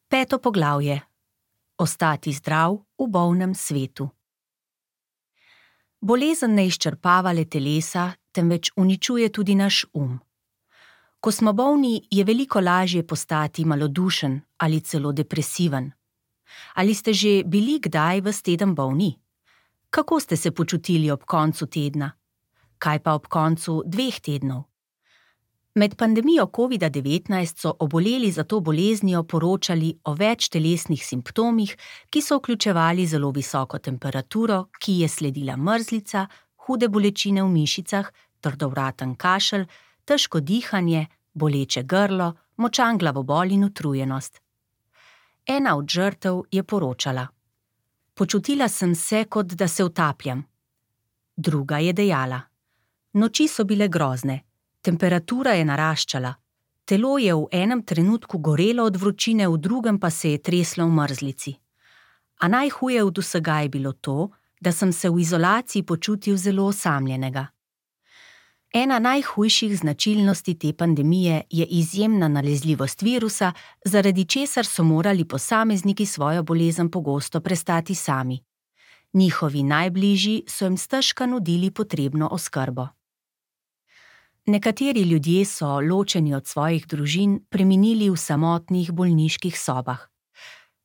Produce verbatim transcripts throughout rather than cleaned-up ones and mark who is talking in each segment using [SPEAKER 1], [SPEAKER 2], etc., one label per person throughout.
[SPEAKER 1] Peto poglavje. Ostati zdrav v bolnem svetu. Bolezen ne izčrpava le telesa, temveč uničuje tudi naš um. Ko smo bolni, je veliko lažje postati malodušen ali celo depresiven. Ali ste že bili kdaj ves teden bolni? Kako ste se počutili ob koncu tedna? Kaj pa ob koncu dveh tednov? Med pandemijo covida devetnajst so oboleli za to boleznijo poročali o več telesnih simptomih, ki so vključevali zelo visoko temperaturo, ki je sledila mrzlica, hude bolečine v mišicah, trdovraten kašelj, težko dihanje, boleče grlo, močan glavobol in utrujenost. Ena od žrtev je poročala: Počutila sem se, kot da se utapljam. Druga je dejala: Noči so bile grozne. Temperatura je naraščala, telo je v enem trenutku gorelo od vročine, v drugem pa se je treslo v mrzlici. A najhuje od vsega je bilo to, da sem se v izolaciji počutil zelo osamljenega. Ena najhujših značilnosti te pandemije je izjemna nalezljivost virusa, zaradi česar so morali posamezniki svojo bolezen pogosto prestati sami. Njihovi najbližji so jim stežka nudili potrebno oskrbo. Nekateri ljudje so, ločeni od svojih družin, preminili v samotnih bolniških sobah.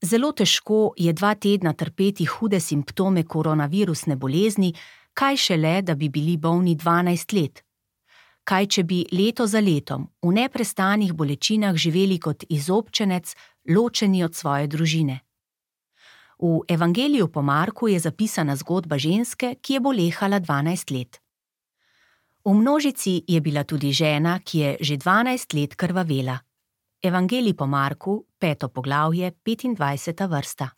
[SPEAKER 1] Zelo težko je dva tedna trpeti hude simptome koronavirusne bolezni, kaj šele, da bi bili bolni dvanajst let. Kaj, če bi leto za letom v neprestanih bolečinah živeli kot izobčenec, ločeni od svoje družine. V Evangeliju po Marku je zapisana zgodba ženske, ki je bolehala dvanajst let. V množici je bila tudi žena, ki je že dvanajst let krvavela. Evangelij po Marku, peto poglavje, petindvajseta vrsta.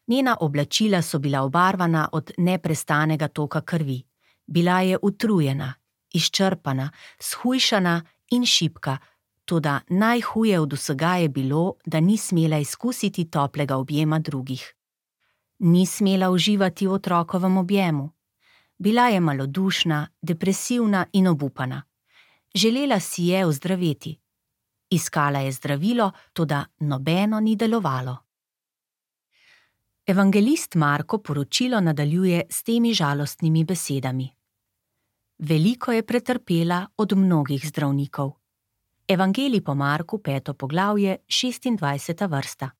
[SPEAKER 1] Njena oblačila so bila obarvana od neprestanega toka krvi. Bila je utrujena, izčrpana, shujšana in šibka, toda najhuje od vsega je bilo, da ni smela izkusiti toplega objema drugih. Ni smela uživati v otrokovem objemu. Bila je malodušna, depresivna in obupana. Želela si je ozdraveti. Iskala je zdravilo, toda nobeno ni delovalo. Evangelist Marko poročilo nadaljuje s temi žalostnimi besedami. Veliko je pretrpela od mnogih zdravnikov. Evangelij po Marku, peto poglavje, šestindvajseta vrsta.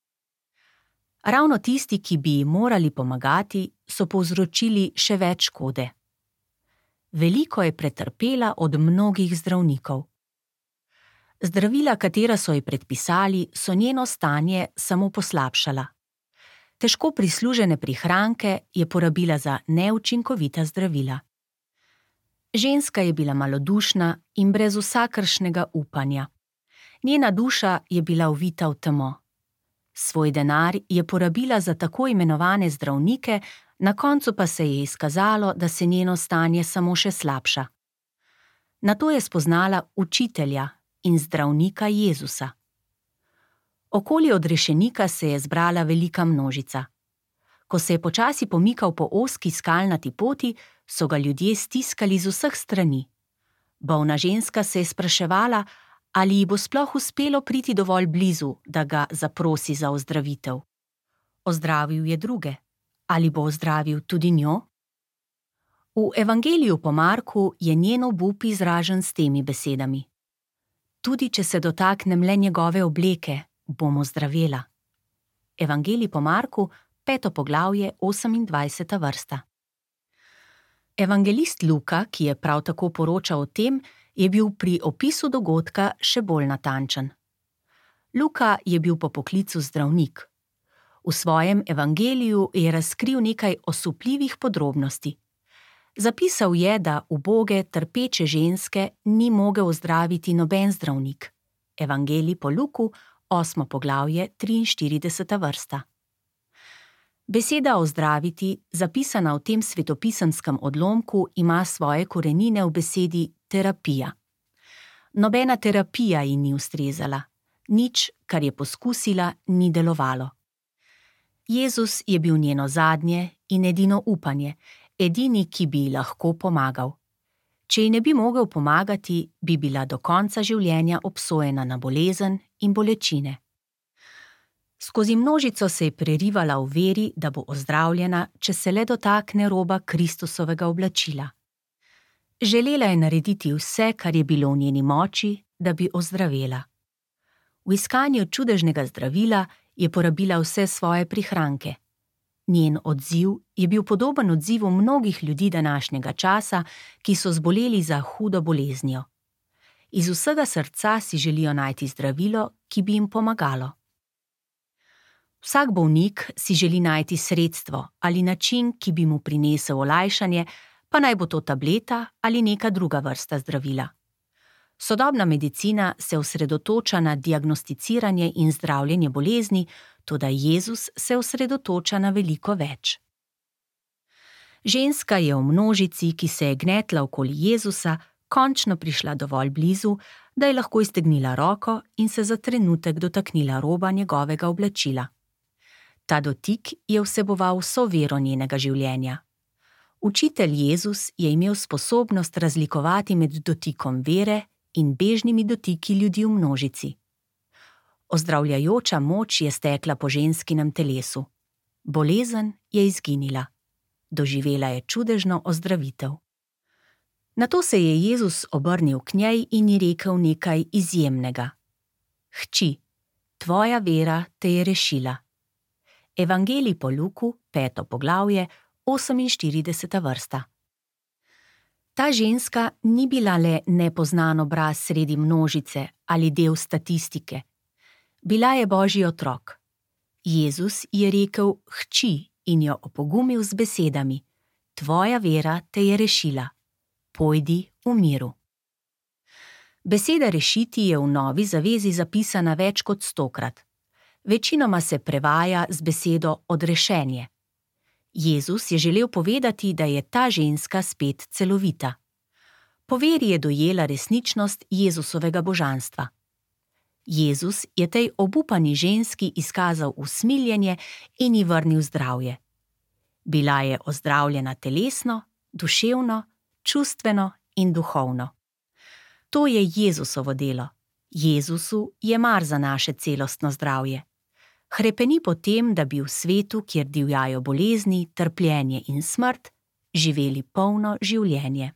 [SPEAKER 1] Ravno tisti, ki bi ji morali pomagati, so povzročili še več škode. Veliko je pretrpela od mnogih zdravnikov. Zdravila, katera so ji predpisali, so njeno stanje samo poslabšala. Težko prislužene prihranke je porabila za neučinkovita zdravila. Ženska je bila malodušna in brez vsakršnega upanja. Njena duša je bila uvita v temo. Svoj denar je porabila za tako imenovane zdravnike, na koncu pa se je izkazalo, da se njeno stanje samo še slabša. Nato je spoznala učitelja in zdravnika Jezusa. Okoli odrešenika se je zbrala velika množica. Ko se je počasi pomikal po ozki skalnati poti, so ga ljudje stiskali z vseh strani. Bolna ženska se je spraševala, ali ji bo sploh uspelo priti dovolj blizu, da ga zaprosi za ozdravitev. Ozdravil je druge. Ali bo ozdravil tudi njo? V Evangeliju po Marku je njen obup izražen s temi besedami. Tudi če se dotaknem le njegove obleke, bom ozdravela. Evangelij po Marku, peto poglavje, osemindvajseta vrsta. Evangelist Luka, ki je prav tako poročal o tem, je bil pri opisu dogodka še bolj natančen. Luka je bil po poklicu zdravnik. V svojem evangeliju je razkril nekaj osupljivih podrobnosti. Zapisal je, da uboge, trpeče ženske ni mogel ozdraviti noben zdravnik. Evangelij po Luku, osmo poglavje, triinštirideseta vrsta. Beseda ozdraviti, zapisana v tem svetopisenskem odlomku, ima svoje korenine v besedi terapija. Nobena terapija ji ni ustrezala. Nič, kar je poskusila, ni delovalo. Jezus je bil njeno zadnje in edino upanje, edini, ki bi ji lahko pomagal. Če ji ne bi mogel pomagati, bi bila do konca življenja obsojena na bolezen in bolečine. Skozi množico se je prerivala v veri, da bo ozdravljena, če se le dotakne roba Kristusovega oblačila. Želela je narediti vse, kar je bilo v njeni moči, da bi ozdravela. V iskanju čudežnega zdravila je porabila vse svoje prihranke. Njen odziv je bil podoben odzivu mnogih ljudi današnjega časa, ki so zboleli za hudo boleznijo. Iz vsega srca si želijo najti zdravilo, ki bi jim pomagalo. Vsak bolnik si želi najti sredstvo ali način, ki bi mu prinesel olajšanje, pa naj bo to tableta ali neka druga vrsta zdravila. Sodobna medicina se osredotoča na diagnosticiranje in zdravljenje bolezni, toda Jezus se osredotoča na veliko več. Ženska je v množici, ki se je gnetla okoli Jezusa, končno prišla dovolj blizu, da je lahko iztegnila roko in se za trenutek dotaknila roba njegovega oblačila. Ta dotik je vseboval vso vero njenega življenja. Učitelj Jezus je imel sposobnost razlikovati med dotikom vere in bežnimi dotiki ljudi v množici. Ozdravljajoča moč je stekla po ženskinem telesu. Bolezen je izginila. Doživela je čudežno ozdravitev. Nato se je Jezus obrnil k njej in ji rekel nekaj izjemnega. Hči, tvoja vera te je rešila. Evangelij po Luku, peto poglavje, oseminštirideseta vrsta. Ta ženska ni bila le nepoznan obraz sredi množice ali del statistike. Bila je Božji otrok. Jezus je rekel hči in jo opogumil z besedami: Tvoja vera te je rešila. Pojdi v miru. Beseda rešiti je v Novi zavezi zapisana več kot stokrat. Večinoma se prevaja z besedo odrešenje. Jezus je želel povedati, da je ta ženska spet celovita. Po veri je dojela resničnost Jezusovega božanstva. Jezus je tej obupani ženski izkazal usmiljenje in ji vrnil zdravje. Bila je ozdravljena telesno, duševno, čustveno in duhovno. To je Jezusovo delo. Jezusu je mar za naše celostno zdravje. Hrepeni po tem, da bi v svetu, kjer divjajo bolezni, trpljenje in smrt, živeli polno življenje.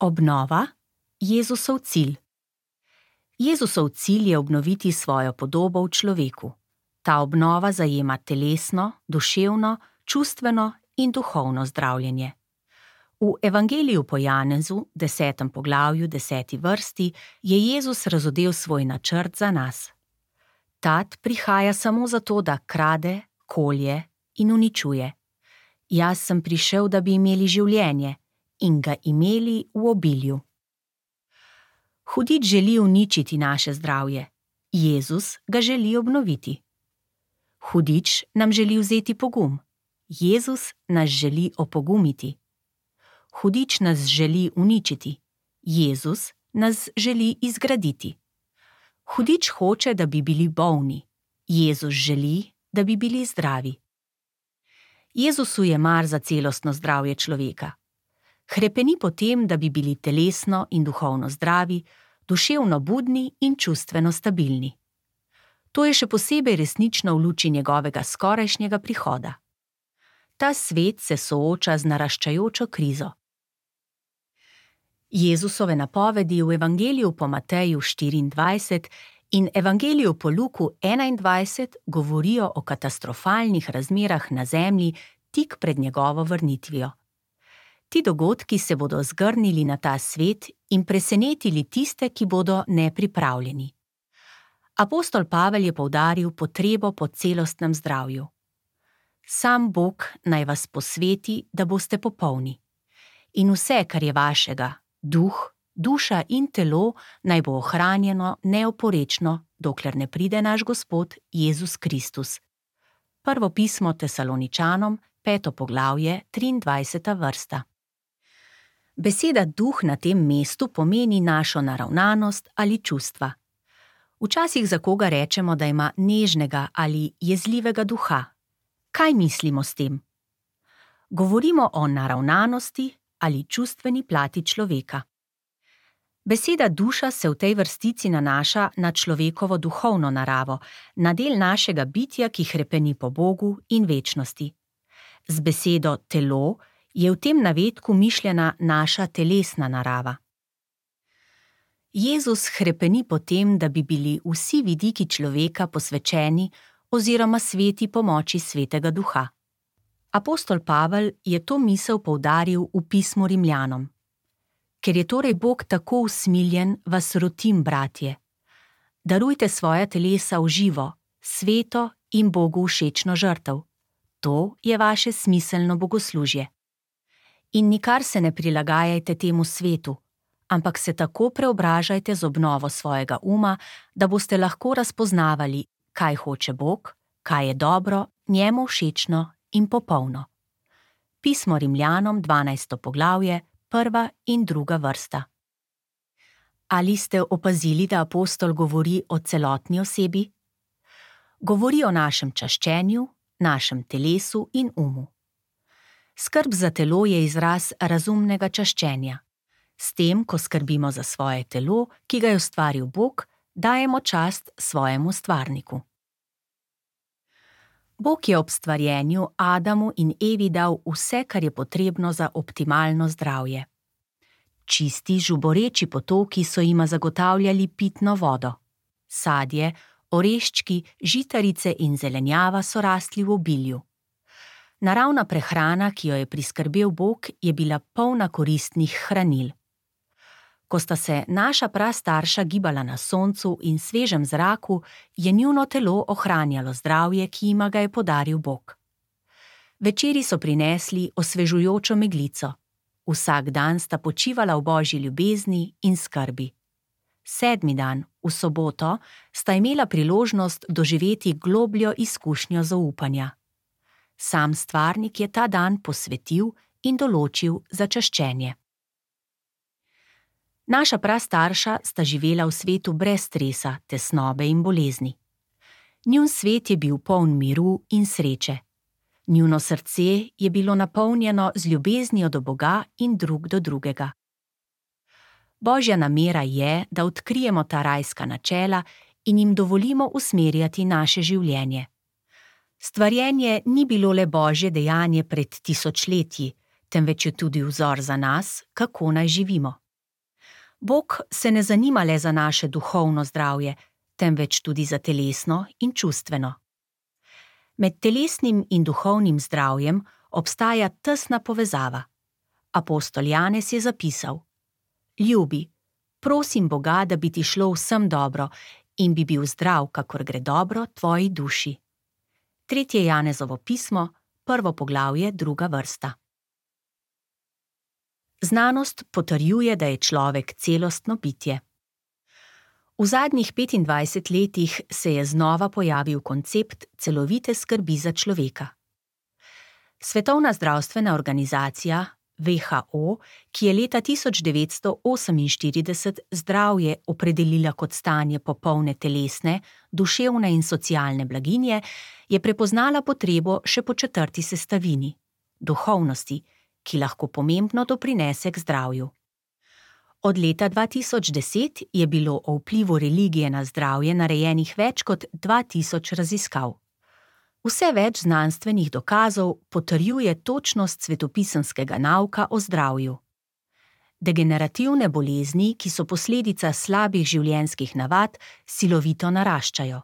[SPEAKER 1] Obnova, Jezusov cilj. Jezusov cilj je obnoviti svojo podobo v človeku. Ta obnova zajema telesno, duševno, čustveno in duhovno zdravljenje. V Evangeliju po Janezu, desetem poglavju, deseti vrsti, je Jezus razodel svoj načrt za nas. Tat prihaja samo zato, da krade, kolje in uničuje. Jaz sem prišel, da bi imeli življenje in ga imeli v obilju. Hudič želi uničiti naše zdravje. Jezus ga želi obnoviti. Hudič nam želi vzeti pogum. Jezus nas želi opogumiti. Hudič nas želi uničiti. Jezus nas želi izgraditi. Hudič hoče, da bi bili bolni. Jezus želi, da bi bili zdravi. Jezusu je mar za celostno zdravje človeka. Hrepeni po tem, da bi bili telesno in duhovno zdravi, duševno budni in čustveno stabilni. To je še posebej resnično v luči njegovega skorajšnjega prihoda. Ta svet se sooča z naraščajočo krizo. Jezusove napovedi v Evangeliju po Mateju štiriindvajset in Evangeliju po Luku enaindvajset govorijo o katastrofalnih razmerah na zemlji tik pred njegovo vrnitvijo. Ti dogodki se bodo zgrnili na ta svet in presenetili tiste, ki bodo nepripravljeni. Apostol Pavel je poudaril potrebo po celostnem zdravju. Sam Bog naj vas posveti, da boste popolni. In vse, kar je vašega, duh, duša in telo, naj bo ohranjeno neoporečno, dokler ne pride naš Gospod Jezus Kristus. Prvo pismo Tesaloničanom, peto poglavje, triindvajseta vrsta. Beseda duh na tem mestu pomeni našo naravnanost ali čustva. Včasih za koga rečemo, da ima nežnega ali jezljivega duha. Kaj mislimo s tem? Govorimo o naravnanosti ali čustveni plati človeka. Beseda duša se v tej vrstici nanaša na človekovo duhovno naravo, na del našega bitja, ki hrepeni po Bogu in večnosti. Z besedo telo je v tem navedku mišljena naša telesna narava. Jezus hrepeni po tem, da bi bili vsi vidiki človeka posvečeni oziroma sveti pomoči Svetega Duha. Apostol Pavel je to misel poudaril v pismu Rimljanom. Ker je torej Bog tako usmiljen, vas rotim, bratje. Darujte svoja telesa v živo, sveto in Bogu všečno žrtev. To je vaše smiselno bogoslužje. In nikar se ne prilagajajte temu svetu, ampak se tako preobražajte z obnovo svojega uma, da boste lahko razpoznavali, kaj hoče Bog, kaj je dobro, njemu všečno in popolno. Pismo Rimljanom, dvanajsto poglavje, prva in druga vrsta. Ali ste opazili, da apostol govori o celotni osebi? Govori o našem čaščenju, našem telesu in umu. Skrb za telo je izraz razumnega čaščenja. S tem, ko skrbimo za svoje telo, ki ga je ustvaril Bog, dajemo čast svojemu stvarniku. Bog je ob stvarjenju Adamu in Evi dal vse, kar je potrebno za optimalno zdravje. Čisti, žuboreči potoki so jima zagotavljali pitno vodo. Sadje, oreščki, žitarice in zelenjava so rasli v obilju. Naravna prehrana, ki jo je priskrbel Bog, je bila polna koristnih hranil. Ko sta se naša prastarša gibala na soncu in svežem zraku, je njuno telo ohranjalo zdravje, ki jima ga je podaril Bog. Večeri so prinesli osvežujočo meglico. Vsak dan sta počivala v Božji ljubezni in skrbi. Sedmi dan, v soboto, sta imela priložnost doživeti globljo izkušnjo zaupanja. Sam stvarnik je ta dan posvetil in določil za čaščenje. Naša prastarša sta živela v svetu brez stresa, tesnobe in bolezni. Njun svet je bil poln miru in sreče. Njuno srce je bilo napolnjeno z ljubeznijo do Boga in drug do drugega. Božja namera je, da odkrijemo ta rajska načela in jim dovolimo usmerjati naše življenje. Stvarjenje ni bilo le Božje dejanje pred tisočletji, temveč je tudi vzor za nas, kako naj živimo. Bog se ne zanima le za naše duhovno zdravje, temveč tudi za telesno in čustveno. Med telesnim in duhovnim zdravjem obstaja tesna povezava. Apostol Janez je zapisal: Ljubi, prosim Boga, da bi ti šlo vsem dobro in bi bil zdrav, kakor gre dobro tvoji duši. Tretje Janezovo pismo, prvo poglavje, druga vrsta. Znanost potrjuje, da je človek celostno bitje. V zadnjih petindvajsetih letih se je znova pojavil koncept celovite skrbi za človeka. Svetovna zdravstvena organizacija W H O, ki je leta tisoč devetsto oseminštirideset zdravje opredelila kot stanje popolne telesne, duševne in socialne blaginje, je prepoznala potrebo še po četrti sestavini – duhovnosti, ki lahko pomembno doprinese k zdravju. Od leta dva tisoč deset je bilo o vplivu religije na zdravje narejenih več kot dva tisoč raziskav. Vse več znanstvenih dokazov potrjuje točnost svetopisemskega nauka o zdravju. Degenerativne bolezni, ki so posledica slabih življenjskih navad, silovito naraščajo.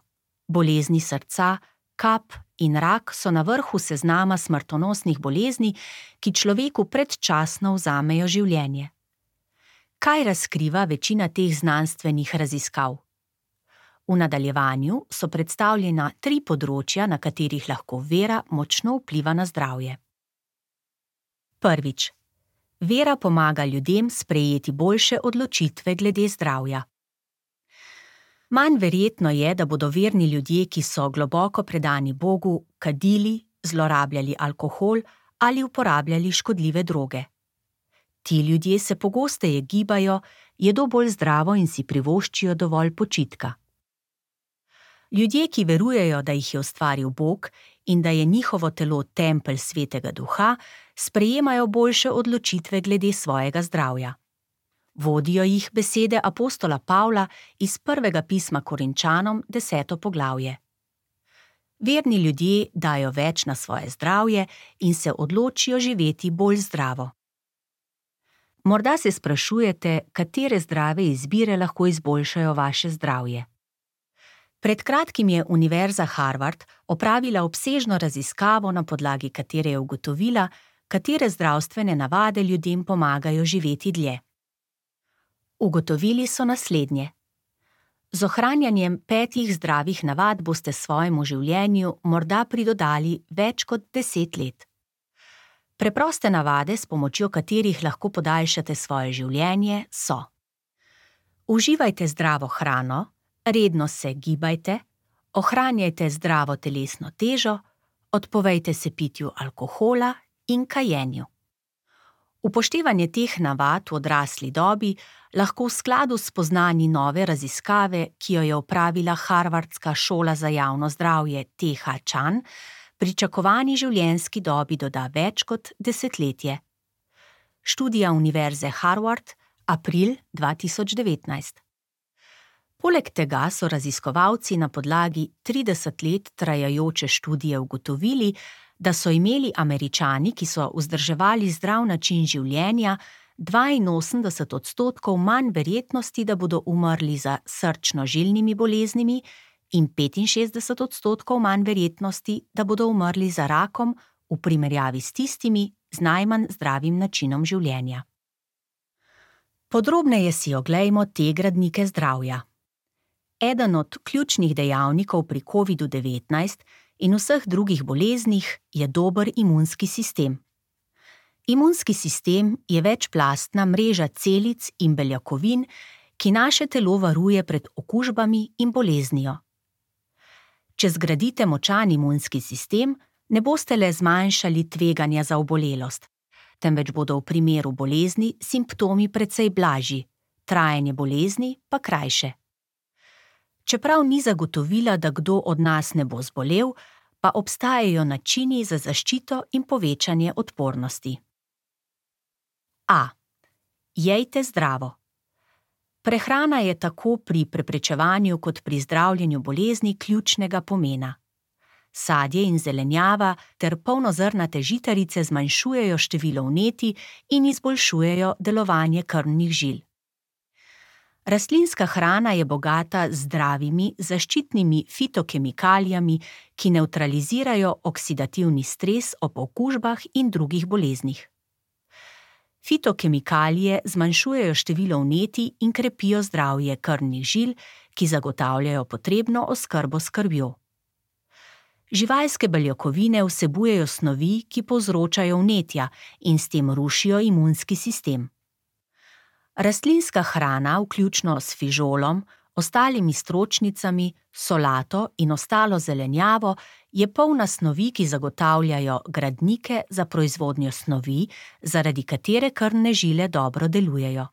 [SPEAKER 1] Bolezni srca, kap in rak so na vrhu seznama smrtonosnih bolezni, ki človeku predčasno vzamejo življenje. Kaj razkriva večina teh znanstvenih raziskav? V nadaljevanju so predstavljena tri področja, na katerih lahko vera močno vpliva na zdravje. Prvič. Vera pomaga ljudem sprejeti boljše odločitve glede zdravja. Manj verjetno je, da bodo verni ljudje, ki so globoko predani Bogu, kadili, zlorabljali alkohol ali uporabljali škodljive droge. Ti ljudje se pogosteje gibajo, jedo bolj zdravo in si privoščijo dovolj počitka. Ljudje, ki verujejo, da jih je ustvaril Bog in da je njihovo telo tempelj Svetega Duha, sprejemajo boljše odločitve glede svojega zdravja. Vodijo jih besede apostola Pavla iz prvega pisma Korinčanom, deseto poglavje. Verni ljudje dajo več na svoje zdravje in se odločijo živeti bolj zdravo. Morda se sprašujete, katere zdrave izbire lahko izboljšajo vaše zdravje. Pred kratkim je Univerza Harvard opravila obsežno raziskavo, na podlagi katere je ugotovila, katere zdravstvene navade ljudem pomagajo živeti dlje. Ugotovili so naslednje. Z ohranjanjem petih zdravih navad boste svojemu življenju morda pridodali več kot deset let. Preproste navade, s pomočjo katerih lahko podaljšate svoje življenje, so: uživajte zdravo hrano, redno se gibajte, ohranjajte zdravo telesno težo, odpovejte se pitju alkohola in kajenju. Upoštevanje teh navad v odrasli dobi lahko v skladu s spoznanji nove raziskave, ki jo je opravila Harvardska šola za javno zdravje T H Chan, pričakovani življenjski dobi doda več kot desetletje. Študija Univerze Harvard, april dva tisoč devetnajst. Poleg tega so raziskovalci na podlagi trideset let trajajoče študije ugotovili, da so imeli Američani, ki so vzdrževali zdrav način življenja, dvainosemdeset odstotkov manj verjetnosti, da bodo umrli za srčno-žilnimi boleznimi in petinšestdeset odstotkov manj verjetnosti, da bodo umrli za rakom v primerjavi s tistimi z najmanj zdravim načinom življenja. Podrobneje si oglejmo te gradnike zdravja. Eden od ključnih dejavnikov pri covidu devetnajst in vseh drugih boleznih je dober imunski sistem. Imunski sistem je večplastna mreža celic in beljakovin, ki naše telo varuje pred okužbami in boleznijo. Če zgradite močan imunski sistem, ne boste le zmanjšali tveganja za obolelost, temveč bodo v primeru bolezni simptomi precej blažji, trajanje bolezni pa krajše. Čeprav ni zagotovila, da kdo od nas ne bo zbolel, pa obstajajo načini za zaščito in povečanje odpornosti. A. Jejte zdravo. Prehrana je tako pri preprečevanju kot pri zdravljenju bolezni ključnega pomena. Sadje in zelenjava ter polnozrnate žitarice zmanjšujejo število vnetij in izboljšujejo delovanje krvnih žil. Rastlinska hrana je bogata z zdravimi, zaščitnimi fitokemikalijami, ki nevtralizirajo oksidativni stres ob okužbah in drugih boleznih. Fitokemikalije zmanjšujejo število vnetij in krepijo zdravje krvnih žil, ki zagotavljajo potrebno oskrbo s krvjo. Živalske beljakovine vsebujejo snovi, ki povzročajo vnetja in s tem rušijo imunski sistem. Rastlinska hrana, vključno s fižolom, ostalimi stročnicami, solato in ostalo zelenjavo, je polna snovi, ki zagotavljajo gradnike za proizvodnjo snovi, zaradi katere krvne žile dobro delujejo.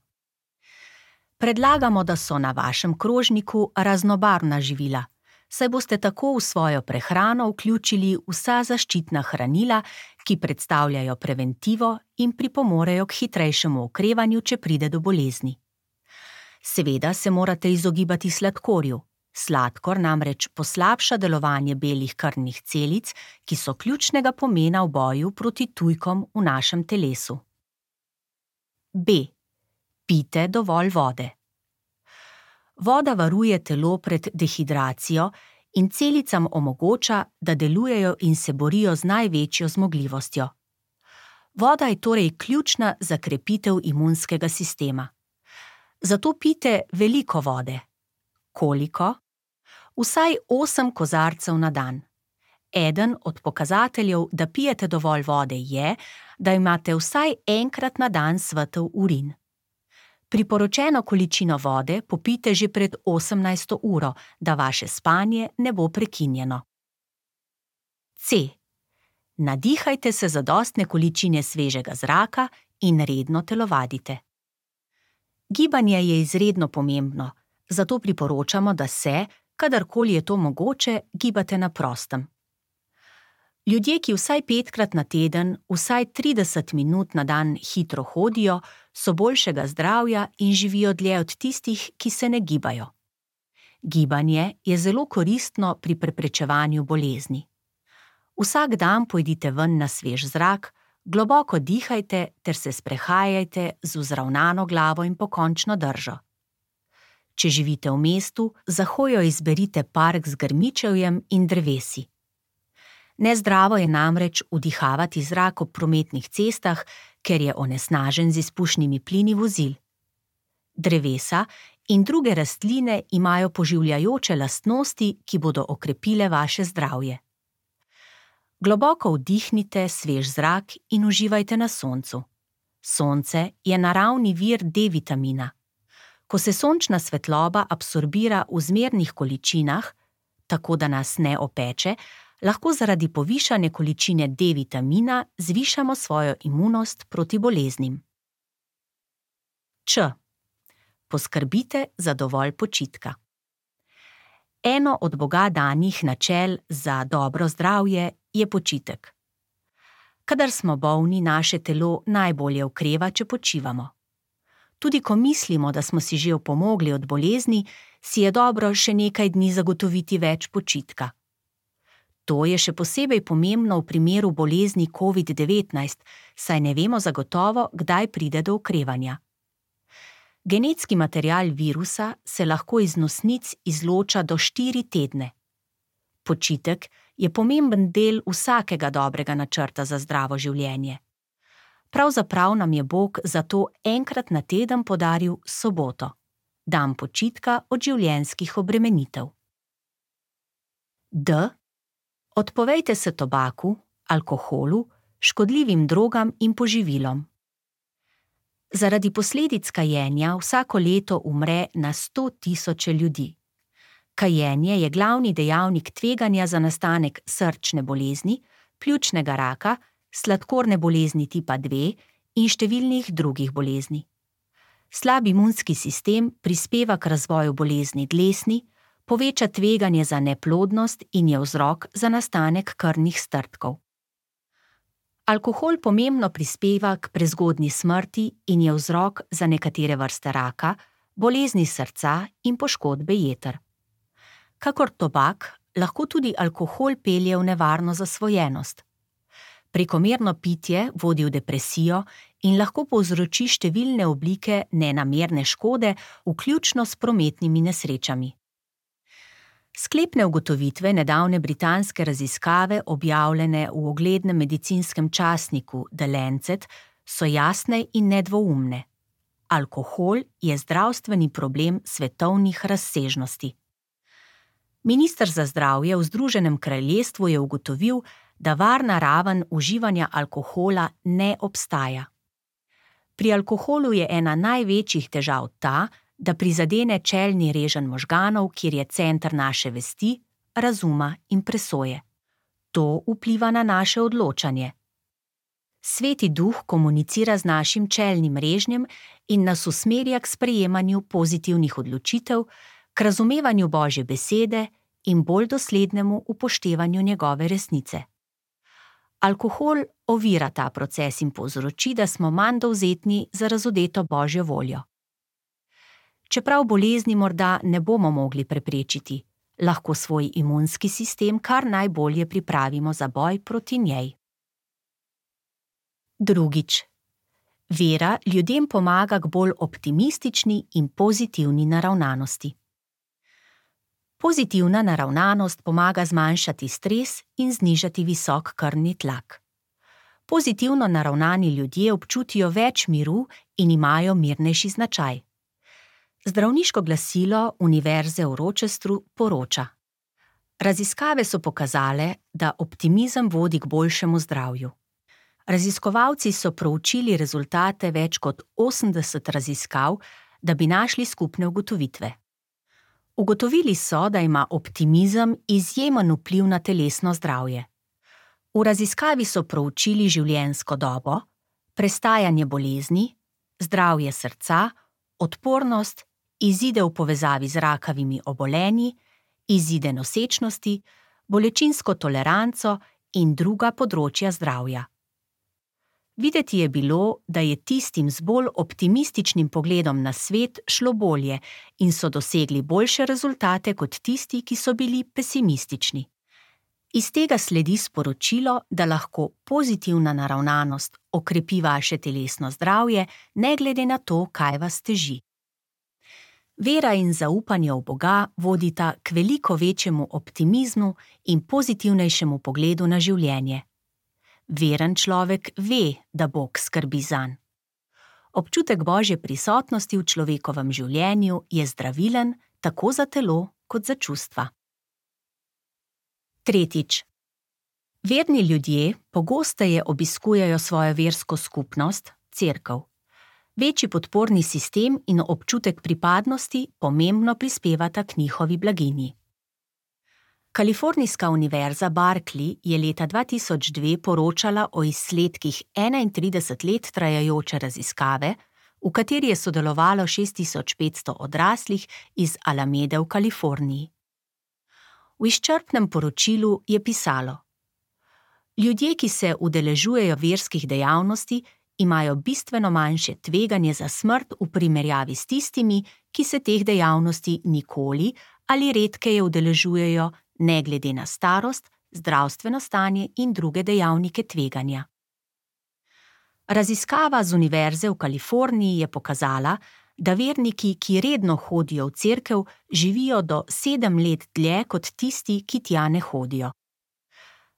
[SPEAKER 1] Predlagamo, da so na vašem krožniku raznobarvna živila, saj boste tako v svojo prehrano vključili vsa zaščitna hranila, ki predstavljajo preventivo in pripomorejo k hitrejšemu okrevanju, če pride do bolezni. Seveda se morate izogibati sladkorju. Sladkor namreč poslabša delovanje belih krvnih celic, ki so ključnega pomena v boju proti tujkom v našem telesu. B. Pijte dovolj vode. Voda varuje telo pred dehidracijo in celicam omogoča, da delujejo in se borijo z največjo zmogljivostjo. Voda je torej ključna za krepitev imunskega sistema. Zato pijte veliko vode. Koliko? Vsaj osem kozarcev na dan. Eden od pokazateljev, da pijete dovolj vode, je, da imate vsaj enkrat na dan svetel urin. Priporočeno količino vode popijte že pred osemnajsto uro, da vaše spanje ne bo prekinjeno. C. Nadihajte se zadostne količine svežega zraka in redno telovadite. Gibanje je izredno pomembno, zato priporočamo, da se, kadarkoli je to mogoče, gibate na prostem. Ljudje, ki vsaj petkrat na teden, vsaj trideset minut na dan hitro hodijo, so boljšega zdravja in živijo dlje od tistih, ki se ne gibajo. Gibanje je zelo koristno pri preprečevanju bolezni. Vsak dan pojdite ven na svež zrak, globoko dihajte ter se sprehajajte z vzravnano glavo in pokončno držo. Če živite v mestu, za hojo izberite park z grmičevjem in drevesi. Nezdravo je namreč vdihavati zrak ob prometnih cestah, ker je onesnažen z izpušnimi plini vozil. Drevesa in druge rastline imajo poživljajoče lastnosti, ki bodo okrepile vaše zdravje. Globoko vdihnite svež zrak in uživajte na soncu. Sonce je naravni vir D-vitamina. Ko se sončna svetloba absorbira v zmernih količinah, tako da nas ne opeče, lahko zaradi povišane količine D-vitamina zvišamo svojo imunost proti boleznim. Č. Poskrbite za dovolj počitka. Eno od Boga danih načel za dobro zdravje je počitek. Kadar smo bolni, naše telo najbolje okreva, če počivamo. Tudi ko mislimo, da smo si že opomogli od bolezni, si je dobro še nekaj dni zagotoviti več počitka. To je še posebej pomembno v primeru bolezni covid devetnajst, saj ne vemo zagotovo, kdaj pride do okrevanja. Genetski material virusa se lahko iz nosnic izloča do štiri tedne. Počitek je pomemben del vsakega dobrega načrta za zdravo življenje. Pravzaprav nam je Bog zato enkrat na teden podaril soboto, dan počitka od življenjskih obremenitev. D. Odpovejte se tobaku, alkoholu, škodljivim drogam in poživilom. Zaradi posledic kajenja vsako leto umre na sto tisoče ljudi. Kajenje je glavni dejavnik tveganja za nastanek srčne bolezni, pljučnega raka, sladkorne bolezni tipa dve in številnih drugih bolezni. Slab imunski sistem prispeva k razvoju bolezni dlesni, poveča tveganje za neplodnost in je vzrok za nastanek krvnih strdkov. Alkohol pomembno prispeva k prezgodnji smrti in je vzrok za nekatere vrste raka, bolezni srca in poškodbe jeter. Kakor tobak, lahko tudi alkohol pelje v nevarno zasvojenost. Prekomerno pitje vodi v depresijo in lahko povzroči številne oblike nenamerne škode, vključno s prometnimi nesrečami. Sklepne ugotovitve nedavne britanske raziskave, objavljene v uglednem medicinskem časniku The Lancet, so jasne in nedvoumne. Alkohol je zdravstveni problem svetovnih razsežnosti. Minister za zdravje v Združenem kraljestvu je ugotovil, da varna raven uživanja alkohola ne obstaja. Pri alkoholu je ena največjih težav ta, da prizadene čelni reženj možganov, kjer je center naše vesti, razuma in presoje. To vpliva na naše odločanje. Sveti duh komunicira z našim čelnim režnjem in nas usmerja k sprejemanju pozitivnih odločitev, k razumevanju Božje besede in bolj doslednemu upoštevanju njegove resnice. Alkohol ovira ta proces in povzroči, da smo manj dovzetni za razodeto Božjo voljo. Čeprav bolezni morda ne bomo mogli preprečiti, lahko svoj imunski sistem kar najbolje pripravimo za boj proti njej. Drugič. Vera ljudem pomaga k bolj optimistični in pozitivni naravnanosti. Pozitivna naravnanost pomaga zmanjšati stres in znižati visok krvni tlak. Pozitivno naravnani ljudje občutijo več miru in imajo mirnejši značaj. Zdravniško glasilo Univerze v Rochesteru poroča: raziskave so pokazale, da optimizem vodi k boljšemu zdravju. Raziskovalci so proučili rezultate več kot osemdeset raziskav, da bi našli skupne ugotovitve. Ugotovili so, da ima optimizem izjemen vpliv na telesno zdravje. V raziskavi so proučili življenjsko dobo, prestajanje bolezni, zdravje srca, odpornost, izide v povezavi z rakavimi obolenji, izide nosečnosti, bolečinsko toleranco in druga področja zdravja. Videti je bilo, da je tistim z bolj optimističnim pogledom na svet šlo bolje in so dosegli boljše rezultate kot tisti, ki so bili pesimistični. Iz tega sledi sporočilo, da lahko pozitivna naravnanost okrepi vaše telesno zdravje, ne glede na to, kaj vas teži. Vera in zaupanje v Boga vodita k veliko večjemu optimizmu in pozitivnejšemu pogledu na življenje. Veren človek ve, da Bog skrbi zanj. Občutek Božje prisotnosti v človekovem življenju je zdravilen tako za telo kot za čustva. Tretjič. Verni ljudje pogosteje obiskujejo svojo versko skupnost, cerkev. Večji podporni sistem in občutek pripadnosti pomembno prispevata k njihovi blaginji. Kalifornijska univerza Berkeley je leta dva tisoč dve poročala o izsledkih enaintrideset let trajajoče raziskave, v kateri je sodelovalo šest tisoč petsto odraslih iz Alamede v Kaliforniji. V izčrpnem poročilu je pisalo: Ljudje, ki se udeležujejo verskih dejavnosti, imajo bistveno manjše tveganje za smrt v primerjavi s tistimi, ki se teh dejavnosti nikoli ali redkeje udeležujejo, ne glede na starost, zdravstveno stanje in druge dejavnike tveganja. Raziskava z Univerze v Kaliforniji je pokazala, da verniki, ki redno hodijo v cerkev, živijo do sedem let dlje kot tisti, ki tja ne hodijo.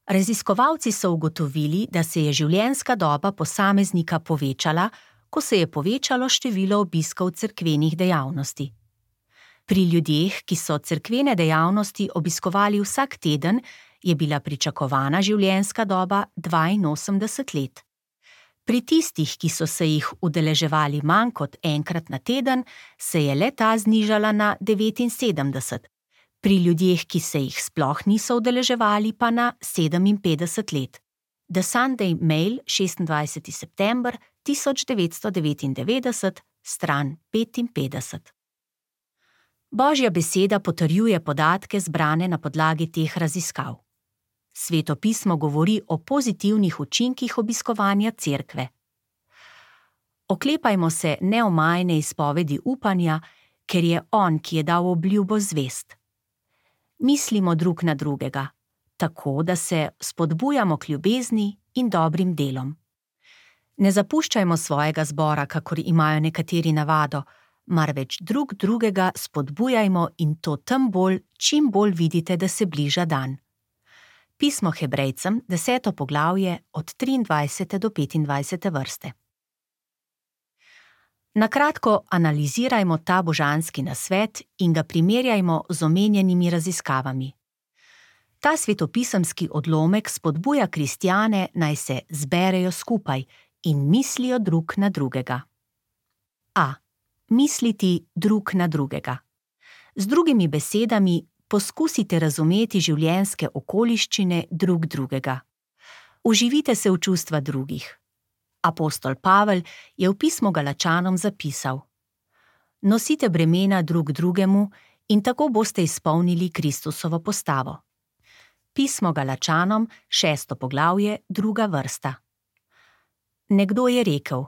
[SPEAKER 1] Raziskovalci so ugotovili, da se je življenjska doba posameznika povečala, ko se je povečalo število obiskov cerkvenih dejavnosti. Pri ljudeh, ki so cerkvene dejavnosti obiskovali vsak teden, je bila pričakovana življenjska doba dvainosemdeset let. Pri tistih, ki so se jih udeleževali manj kot enkrat na teden, se je le ta znižala na devetinsedemdeset, pri ljudeh, ki se jih sploh niso udeleževali, pa na sedeminpetdeset let. The Sunday Mail, šestindvajseti september tisoč devetsto devetindevetdeset, stran petinpetdeset. Božja beseda potrjuje podatke zbrane na podlagi teh raziskav. Sveto pismo govori o pozitivnih učinkih obiskovanja cerkve. Oklepajmo se neomajne izpovedi upanja, ker je On, ki je dal obljubo, zvest. Mislimo drug na drugega, tako da se spodbujamo k ljubezni in dobrim delom. Ne zapuščajmo svojega zbora, kakor imajo nekateri navado, marveč drug drugega spodbujajmo in to tem bolj, čim bolj vidite, da se bliža dan. Pismo Hebrejcem, deseto poglavje, od triindvajsete do petindvajsete vrste. Na kratko analizirajmo ta božanski nasvet in ga primerjajmo z omenjenimi raziskavami. Ta svetopisemski odlomek spodbuja kristjane, naj se zberejo skupaj in mislijo drug na drugega. A. Misliti drug na drugega. Z drugimi besedami, poskusite razumeti življenjske okoliščine drug drugega. Uživite se v čustva drugih. Apostol Pavel je v pismu Galačanom zapisal: Nosite bremena drug drugemu in tako boste izpolnili Kristusovo postavo. Pismo Galačanom, šesto poglavje, druga vrsta. Nekdo je rekel: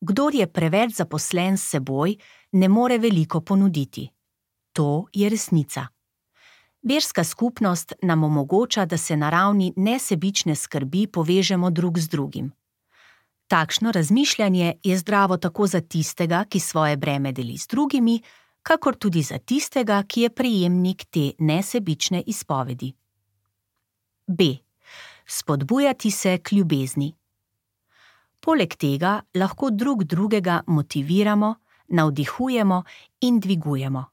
[SPEAKER 1] Kdor je preveč zaposlen s seboj, ne more veliko ponuditi. To je resnica. Verska skupnost nam omogoča, da se na ravni nesebične skrbi povežemo drug z drugim. Takšno razmišljanje je zdravo tako za tistega, ki svoje breme deli z drugimi, kakor tudi za tistega, ki je prejemnik te nesebične izpovedi. B. Spodbujati se k ljubezni. Poleg tega lahko drug drugega motiviramo, navdihujemo in dvigujemo.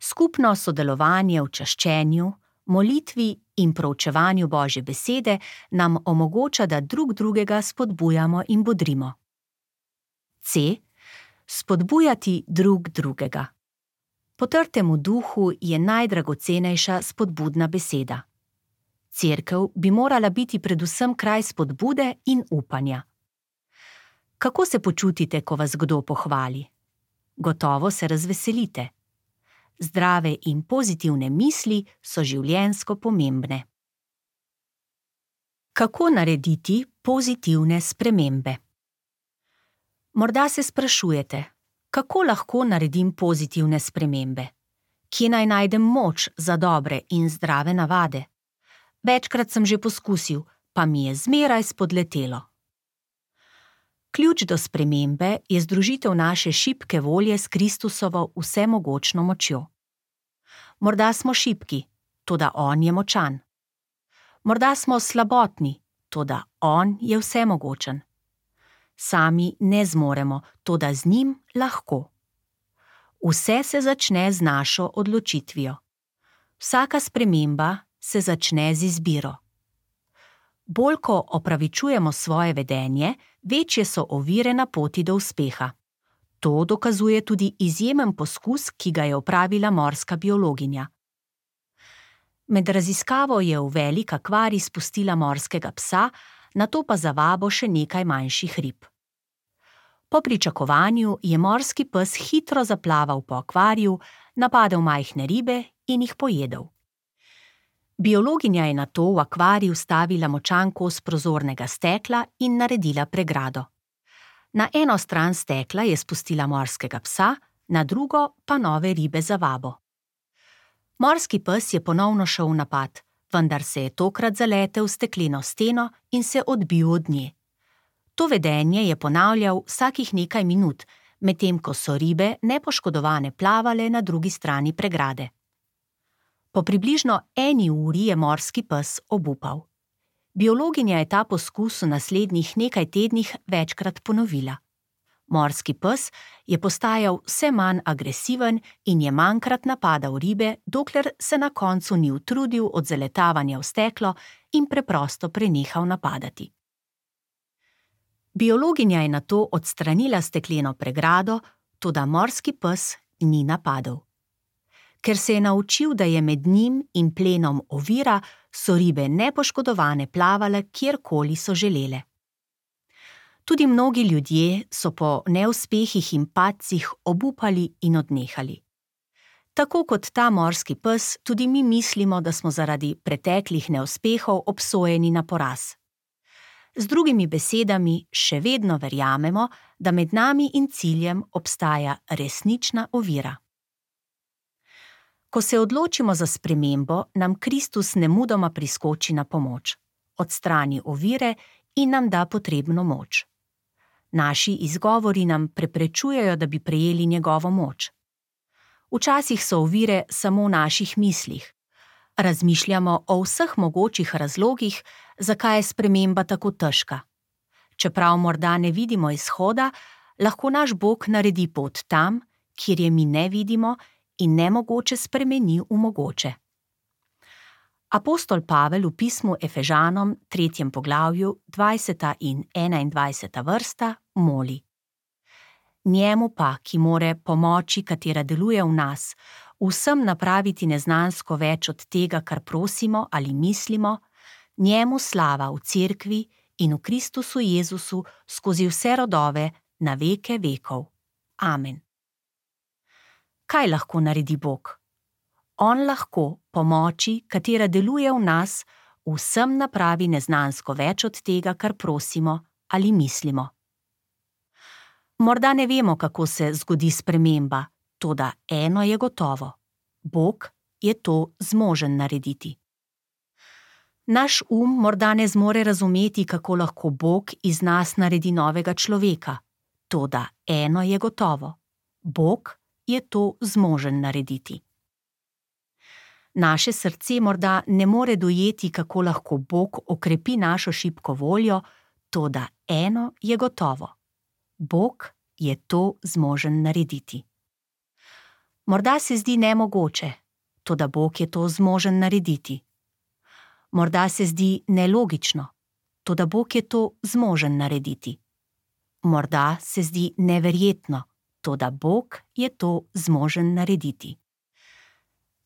[SPEAKER 1] Skupno sodelovanje v čaščenju, molitvi in proučevanju Božje besede nam omogoča, da drug drugega spodbujamo in bodrimo. C. Spodbujati drug drugega. Potrtemu duhu je najdragocenejša spodbudna beseda. Cerkev bi morala biti predvsem kraj spodbude in upanja. Kako se počutite, ko vas kdo pohvali? Gotovo se razveselite. Zdrave in pozitivne misli so življenjsko pomembne. Kako narediti pozitivne spremembe? Morda se sprašujete, kako lahko naredim pozitivne spremembe? Kje naj najdem moč za dobre in zdrave navade? Večkrat sem že poskusil, pa mi je zmeraj spodletelo. Ključ do spremembe je združitev naše šibke volje s Kristusovo vsemogočno močjo. Morda smo šibki, toda on je močan. Morda smo slabotni, toda on je vsemogočen. Sami ne zmoremo, toda z njim lahko. Vse se začne z našo odločitvijo. Vsaka sprememba se začne z izbiro. Bolj ko opravičujemo svoje vedenje, večje so ovire na poti do uspeha. To dokazuje tudi izjemen poskus, ki ga je opravila morska biologinja. Med raziskavo je v velik akvarij spustila morskega psa, nato pa za vabo še nekaj manjših rib. Po pričakovanju je morski pes hitro zaplaval po akvariju, napadel majhne ribe in jih pojedel. Biologinja je nato v akvarij vstavila močan kos prozornega stekla in naredila pregrado. Na eno stran stekla je spustila morskega psa, na drugo pa nove ribe za vabo. Morski pes je ponovno šel v napad, vendar se je tokrat zaletel v stekleno steno in se odbil od nje. To vedenje je ponavljal vsakih nekaj minut, medtem ko so ribe nepoškodovane plavale na drugi strani pregrade. Po približno eni uri je morski pes obupal. Biologinja je ta poskus v naslednjih nekaj tednih večkrat ponovila. Morski pes je postajal vse manj agresiven in je manjkrat napadal ribe, dokler se na koncu ni utrudil od zaletavanja v steklo in preprosto prenehal napadati. Biologinja je nato odstranila stekleno pregrado, toda morski pes ni napadel. Ker se je naučil, da je med njim in plenom ovira, so ribe nepoškodovane plavale, kjerkoli so želele. Tudi mnogi ljudje so po neuspehih in padcih obupali in odnehali. Tako kot ta morski pes, tudi mi mislimo, da smo zaradi preteklih neuspehov obsojeni na poraz. Z drugimi besedami, še vedno verjamemo, da med nami in ciljem obstaja resnična ovira. Ko se odločimo za spremembo, nam Kristus nemudoma priskoči na pomoč, odstrani ovire in nam da potrebno moč. Naši izgovori nam preprečujejo, da bi prejeli njegovo moč. Včasih so ovire samo v naših mislih. Razmišljamo o vseh mogočih razlogih, zakaj je sprememba tako težka. Čeprav morda ne vidimo izhoda, lahko naš Bog naredi pot tam, kjer je mi ne vidimo in nemogoče spremeni v mogoče. Apostol Pavel v pismu Efežanom, tretjem poglavju, dvajseta in enaindvajseta vrsta, moli: Njemu pa, ki more pomoči, katera deluje v nas, vsem napraviti neznansko več od tega, kar prosimo ali mislimo, njemu slava v cerkvi in v Kristusu Jezusu skozi vse rodove na veke vekov. Amen. Kaj lahko naredi Bog? On lahko pomoči, katera deluje v nas, vsem napravi neznansko več od tega, kar prosimo ali mislimo. Morda ne vemo, kako se zgodi sprememba, toda eno je gotovo. Bog je to zmožen narediti. Naš um morda ne zmore razumeti, kako lahko Bog iz nas naredi novega človeka, toda eno je gotovo. Bog je to zmožen narediti. Naše srce morda ne more dojeti, kako lahko Bog okrepi našo šibko voljo, toda eno je gotovo. Bog je to zmožen narediti. Morda se zdi nemogoče, toda Bog je to zmožen narediti. Morda se zdi nelogično, toda Bog je to zmožen narediti. Morda se zdi neverjetno, toda Bog je to zmožen narediti.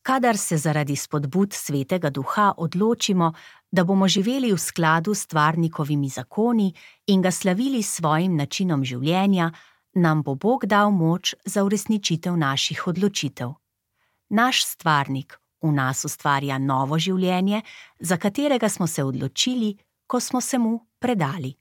[SPEAKER 1] Kadar se zaradi spodbud Svetega Duha odločimo, da bomo živeli v skladu s stvarnikovimi zakoni in ga slavili s svojim načinom življenja, nam bo Bog dal moč za uresničitev naših odločitev. Naš stvarnik v nas ustvarja novo življenje, za katerega smo se odločili ko smo se mu predali.